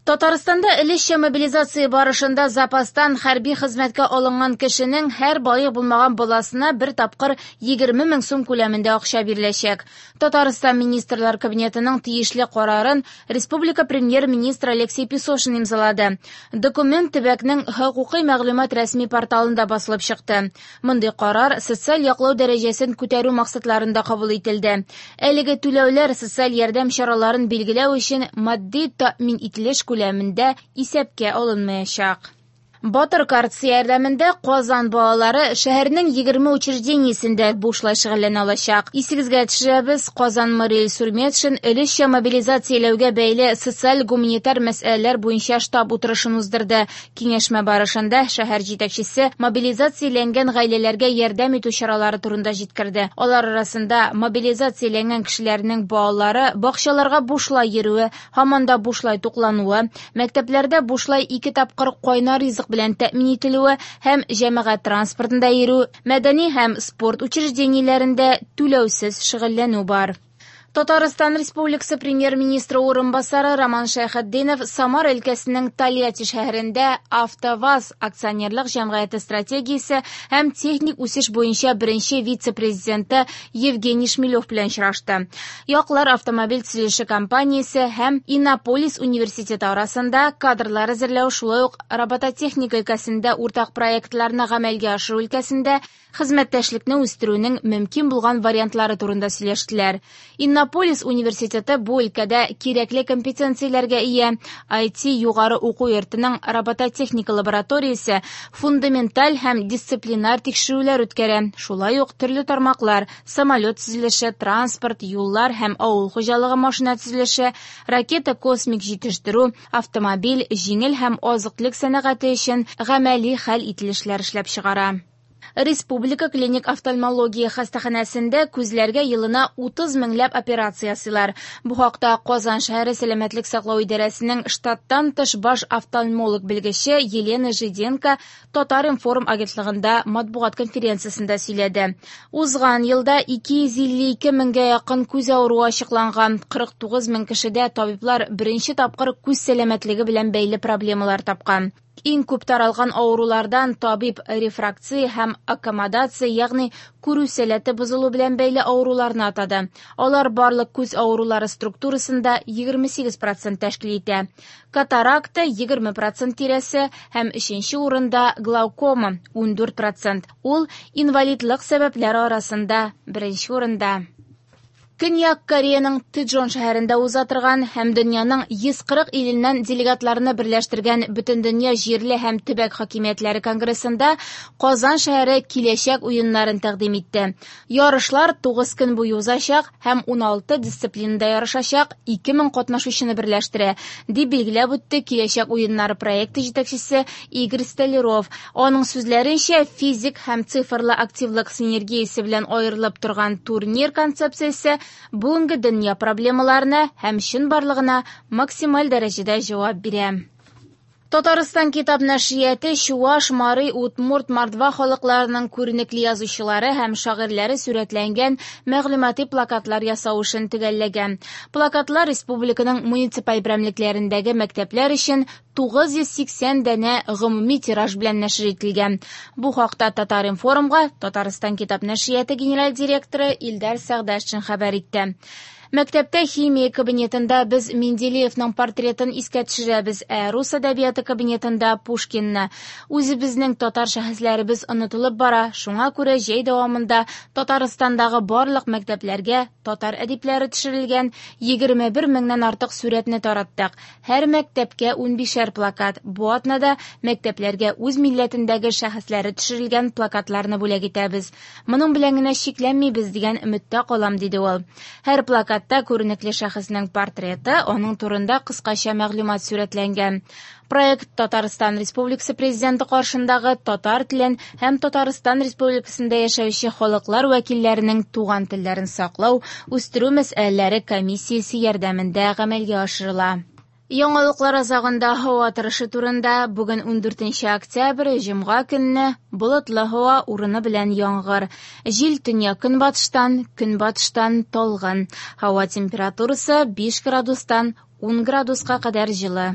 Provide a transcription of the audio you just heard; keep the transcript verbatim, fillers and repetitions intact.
Татарстанда өлешчә мобилизация барышында запастан хәрби хезмәткә алынган кешенең һәр балигъ булмаган баласына бер тапкыр егерме мең сум күләмендә акча биреләчәк. Татарстан Министрлар Кабинетының тиешле карарын республика премьер-министры Алексей Песошин имзалады. Документ төбәкнең хокукый мәгълүмат рәсми порталында басылып чыкты. Мондый карар социаль яклау дәрәҗәсен күтәрү максатларында кабул ителде. Әлеге түләүләр социаль ярдәм чараларын билгеләү өчен матди тәэмин ителеш күләмендә исәпкә алынмаячак. Батыр картасы ярдәмендә Казан балалары шәһәрнең егерме учреждениесендә бушлай шөгыльләнә алачак. Исегезгә төшерәбез, Казан мэры Илсур Метшин өлешчә мобилизацияләүгә бәйле социаль-гуманитар мәсьәләләр буенча штаб утырышын уздырды. Киңәшмә барышында шәһәр җитәкчесе мобилизацияләнгән гаиләләргә ярдәм итү чаралары турында җиткерде. Алар арасында мобилизацияләнгән кешеләрнең балалары бакчаларга бушлай йөрүе, һаман да бушлай туклануы, мәктәпләрдә бушлай ике тапкыр кайнар ризык белән тәэмин ителүе һәм җәмәгать транспортында йөрү, мәдәни һәм спорт учреждениеләрендә түләүсез шөгыльләнү бар. Татарстан Республикасы премьер-министры урынбасары Роман Шәйхетдинов Самар өлкәсенең Тольятти шәһәрендә АвтоВАЗ акционерлык җәмгыяте стратегиясе һәм техник үсеш буенча беренче вице-президенты Евгений Шмелев белән очрашты. Яклар автомобиль төзелеше компаниясе һәм Иннополис университеты арасында кадрлар әзерләү, шулай ук робототехника өлкәсендә уртак проектларны гамәлгә ашыру өлкәсендә хезмәттәшлекне үстерүнең мөмкин булган вариантлары турында сөйләштеләр. Иннополис университеты бу өлкәдә кирәкле компетенцияләргә ия. ай ти югары уку йортының робототехника лабораториясе фундаменталь һәм дисциплинар тикшерүләр үткәрә. Шулай ук төрле тармаклар, самолет төзелеше, транспорт, юллар һәм авыл хуҗалыгы машина төзелеше, ракета космик җитештерү, автомобиль, җиңел һәм азык-төлек сәнәгате өчен гамәли хәл ителешләр эшләп чыгара. Республика клиник офтальмология хастаханәсендә күзләргә елына утыз меңләп операция ясыйлар. Бу хакта Казан шәһәре сәламәтлек саклау идарәсенең штаттан тыш баш офтальмолог белгече Елена Жиденко Татар-информ агентлыгында матбугат конференциясендә сөйләде. Узган елда ике йөз илле ике меңгә якын күз авыруы ачыкланган, кырык тугыз мең кешедә табиблар беренче тапкыр күз сәламәтлеге белән бәйле проблемалар тапкан. Иң күп таралган авырулардан табиб рефракция һәм аккомодация, ягъни күрү сәләте бозылу белән бәйле авыруларны атады. Алар барлык күз авырулары структурасында егерме сигез процент тәшкил итә. Катаракта егерме процент тирәсе һәм өченче урында глаукома ундүрт процент. Ул инвалидлык сәбәпләре арасында беренче урында. Көньяк Кореяның Тэджон шәһәрендә уза торган һәм дөньяның йөз кырык иленнән делегатларны берләштергән Бөтендөнья җирле һәм төбәк хакимиятләре конгрессында Казан шәһәре киләчәк уеннарын тәкъдим итте. Ярышлар тугыз көн буе узачак һәм уналты дисциплинада ярышачак ике мең катнашучыны берләштерә, дип билгеләп үтте Киләчәк уеннары проекты җитәкчесе Игорь Столяров. Аның сүзләренчә, физик һәм цифрлы активлык синергиясе белән аерылып торган турнир концепциясе бүгенге дөнья проблемаларына һәм чынбарлыгына максималь дәрәҗәдә җавап бирә. Татарстан китап нәшрияты Чуваш, Мари, Удмурт, Мордва халыкларының күренекле язучылары һәм шагыйрьләре сурәтләнгән мәгълүмати плакатлар ясау эшен төгәлләгән. Плакатлар республиканың муниципаль берәмлекләрендәге мәктәпләр өчен тугыз йөз сиксән данә гомуми тираж белән нәшер ителгән. Бу хакта Татар-информга Татарстан китап нәшрияты генераль директоры Илдар Сәгъдәшин хәбәр итте. Мәктәптә химия кабинетында без Менделеевның портретын искә төшерәбез, ә рус әдәбияты кабинетында Пушкинны. Үзебезнең татар шәхесләребез онытылып бара, шуңа күрә җәй дәвамында Татарстандагы барлык мәктәпләргә татар әдипләре төшерелгән егерме бер меңнән артык сурәтне тараттык. Һәр мәктәпкә унбишәр плакат. Бу атнада мәктәпләргә үз милләтендәге шәхесләре төшерелгән плакатларны бүләк итәбез. Моның белән генә чикләнмибез дигән өметтә калам, диде ул. Һәр плакат Та күренекле шәхеснең портреты, аның турында кыскача мәгълүмат сурәтләнгән. Проект Татарстан Республикасы Президенты каршындагы татар телен һәм Татарстан Республикасында яшәүче халыклар вәкилләренең туган телләрен саклау, үстерү мәсьәләләре комиссиясе ярдәмендә гамәлгә ашырыла. Яңалыклар азагында һава торышы турында. Бүген ундүртенче октябрь, җомга көнне болытлы һава, урыны белән яңгыр. Җил төньяк көнбатыштан, көнбатыштан талгын. Һава температурасы биш градустан ун градуска кадәр җылы.